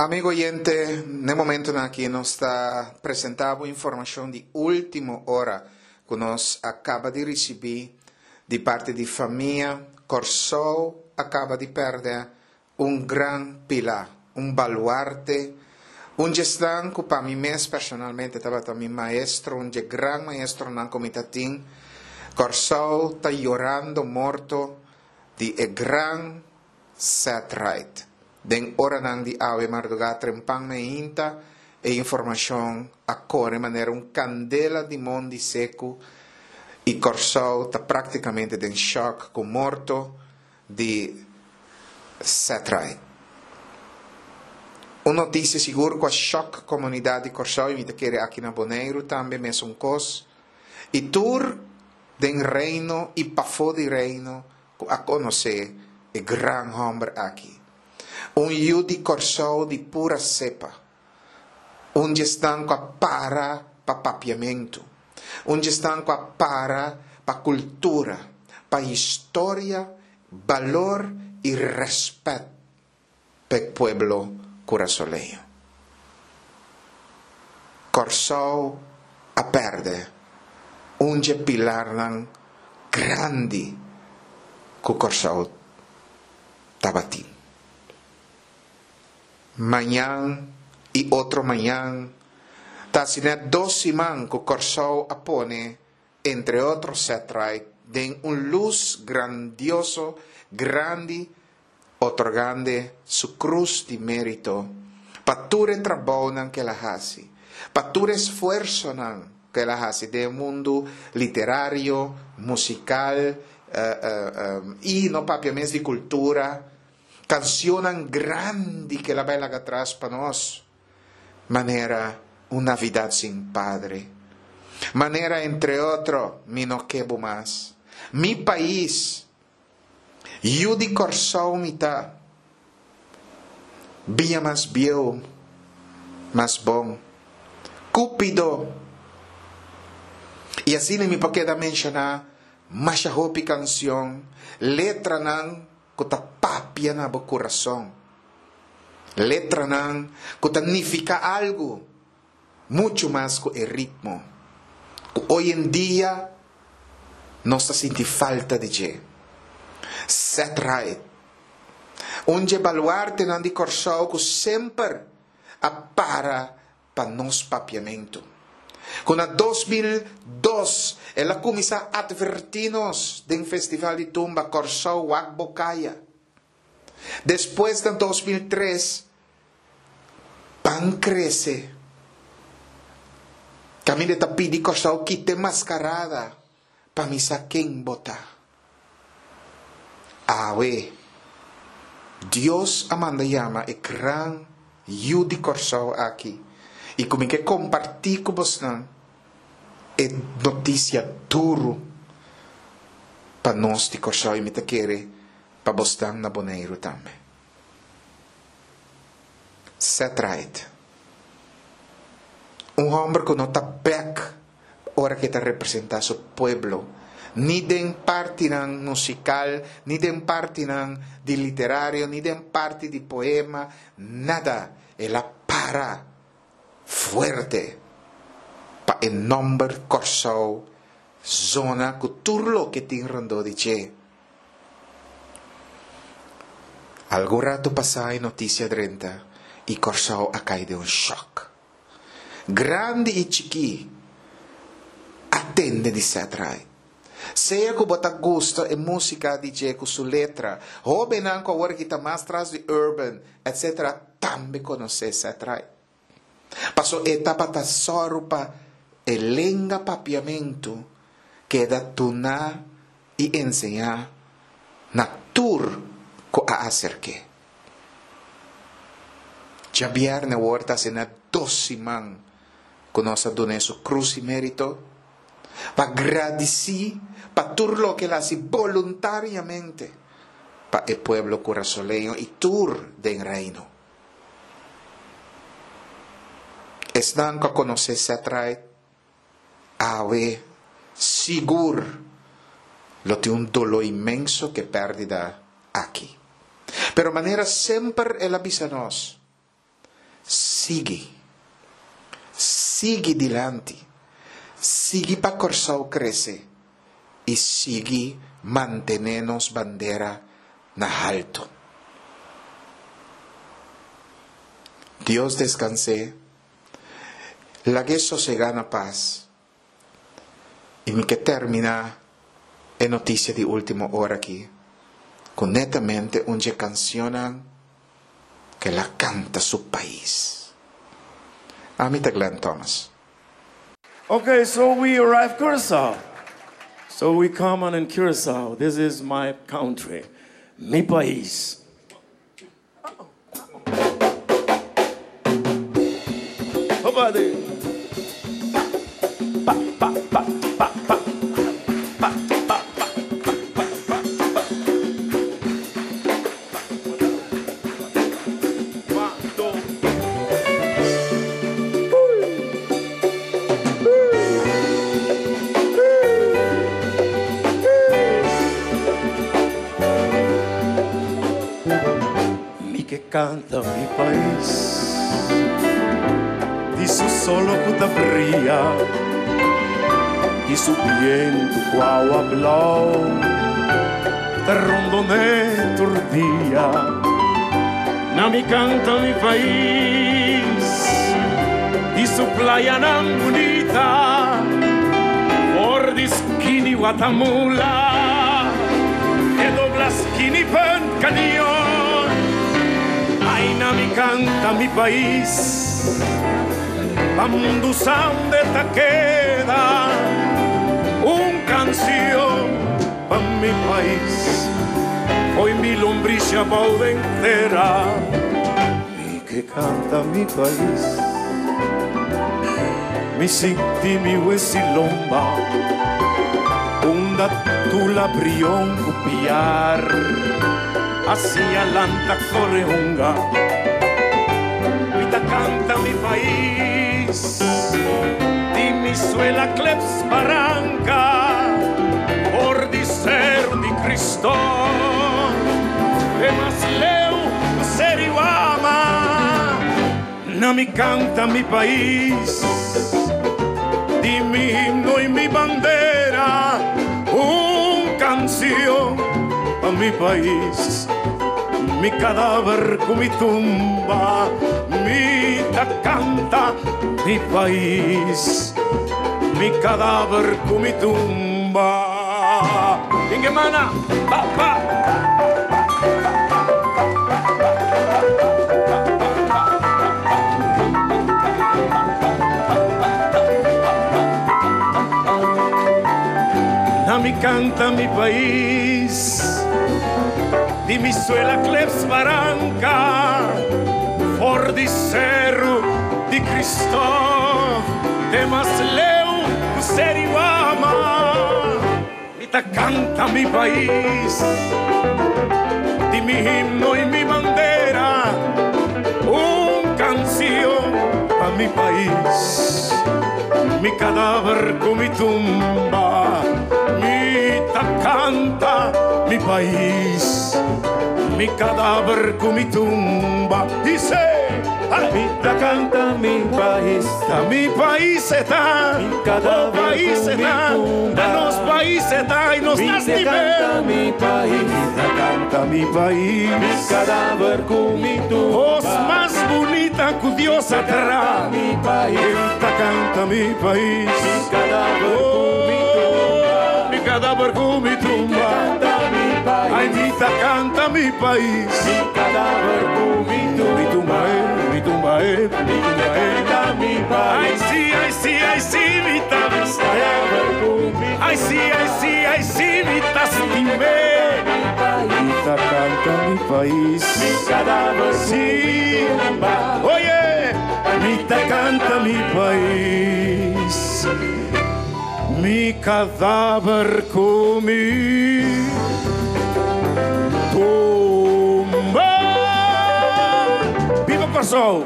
Amigo oyente, n'e momentonan aki nos ta presenta bo informacion di ultimo ora cu nos a caba di ricibi di parti di famia Corsou a caba di perde un gran pila, un baluarte, un djesnan cu pa mi mes personalmente tabata mi maestro, un dje gran maestronan cu mi ta tin. Corsou ta yorando morto di e gran Ced Ride. Den oranan di awe mardugá trempan meinta e informashon a kore manera un kandela di mondi seku i Kòrsou ta praktikamente den shòk ku morto di Ced Ride. Un notisia sigur ku a shòk komunidat di Kòrsou i mi ta kere aki na Boneiru tambe mesun kos i tur den Reino i pafó di Reino ku a konosé e gran hòmber aki. Un yu di Kòrsou di pura sepa. Un di esnan ku a para pa papiamentu. Un di esnan ku a para pa kultura, pa historia, balor i rèspèt. P'e pueblo kurasoleño. Kòrsou a pèrdè un dje pilarnan grandi ku Kòrsou tabatin. Mañan i otro mañan ta asina dos siman ku Kòrsou a pone entre otro Ced Ride den un lus grandioso grandi otorgand'e su krus di mérito pa tur e trabounan ku el a hasi, pa tur esfuersonan ku el a hasi den e mundu literario, musikal i no papia mes di kultura, kansionnan grandi ku el a bai laga atras pa nos, manera Un Navidad sin Padre, manera entre otro Mi no ke bo mas, Mi pais. Yu di Kòrsou mi ta. Bia mas bieu, mas bon. Cupido! I asina mi por keda menshoná masha hopi kansion, letranan ku ta papia na bo kurason. Letranan ku ta nifiká algu muchu mas ku e ritmo ku oy en dia nos ta sinti falta di dje. Ced Ride, un dje baluartenan di Kòrsou ku semper a para pa nos papiamentu. Ku na 2002 el a kuminsá atvertí nos den Festival di Tumba Kòrsou Wak Bo Kaya. Despues na 2003 Ban krese. Kaminda e ta pidi Kòrsou kita e maskarada pa mi sa ken bo ta. Awe, Dios a manda yama e gran yu di Kòrsou aki i ku mi ke kompartí ku bosnan e notisia duru pa nos di Kòrsou i mi ta kere pa bosnan na Boneiru tambe. Ced Ride. Un homber cu no ta bek ora cu e ta representa su pueblo, ni den partinan musical, ni den partinan di literario, ni den parti di poema, nada. El a para fuerte pa e nomber Corsou zona cu tur loke tin rondó di dje. Algun ratu pasá e notisia drenta i Kòrsou a kai den un shòk. Grandi i chikí a tende di Ced Ride. Sea ku bo ta gusta e músika di dje ku su letra, hóbennan ku awor aki ta mas tras di urban, etsetera tambe konosé Ced Ride. Paso e tabata sòru pa e lenga papiamentu keda duná i enseñá na tur ku a aserk'é. Djabièrnè awor ta asina dos siman ku nos a dun'é su krus i mérito pa gradisí pa tur loke el a hasi boluntariamente pa e pueblo kurasoleño i tur den Reino. Esnan ku a konosé Ced Ride awe sigur lo tin un doló inmenso ku e pèrdida aki. Pero manera semper el a bisa nos, Sigui. Sigui dilanti. Sigui pa Kòrsou krese i sigui mantené nos bandera na haltu. Dios deskans'é. Lag'é sosegá na pas. I mi ke terminá e notisia di último ora aki ku netamente un dje kansionnan ku el a kanta su pais. Ami ta Glenn Thomas. Okay, so we arrive Curaçao. So we come on in Curaçao. This is my country, mi pais. Mi ke kanta mi pais Di su solo ku ta bria Di su bientu ku awa blou Ta rondon'é tur dia Na mi kanta mi pais Di su playanan bunita For di skini Watamula Te dobla skini Punt Cañon Ai na mi canta mi pais Pa mundu sa unda ta keda Un cancion pa mi pais Fo'i mi lombrishi abou den tera Mi ke canta mi pais Mi sinti mi wesi lomba Unda tula brion ku piar A siña lanta kore hunga Mi ta kanta mi pais Di mi suela kleps baranka For di seru di Kristo Te mas leu ku Seriwama Na mi canta mi pais Di mi himno y mi bandera Un cancion pa mi pais Mi cadaver cu mi tumba Mi ta canta mi pais Mi cadaver cu mi tumba Ingemana pa pa. Na mi canta mi pais Di mi suela kleps baranca For di Seru di Kristof Te mas leu ku Seriwama Mi ta canta mi pais Di mi himno y mi bandera Un cancion pa mi pais Mi cadaver cu mi tumba Mi ta canta mi pais Mi cadaver cu mi tumba Dice! Mi ta canta mi pais. Ta mi pais e ta. Mi cadaver Oh pais cu e mi ta. tumba. Ta nos pais e ta y nos Mi ta ta stim'é. canta mi pais. Mi ta canta mi pais. Mi cadaver cu mi tumba. Cos mas bunita cu Dios a traha. Mi pais. Mi ta canta mi pais. Mi cadaver cu mi tumba. Oh, mi cadaver cu mi tumba. Canta mi pais. Ay, mi ta canta mi pais. Mi cadaver cu mi tumba. Mi tumba eh, mi tumba eh, mi tumba eh. Canta mi pais. Ay sí, ay sí, ay sí, mi ta Cadaver cu mi Ay sí, ay sí, ay sí, mi ta stim'é. Mi ta canta mi pais. Mi cadaver cu Sí. mi tumba. Oye, mi ta canta mi pais. Mi cadaver cu mi tumba. Viva Kòrsou!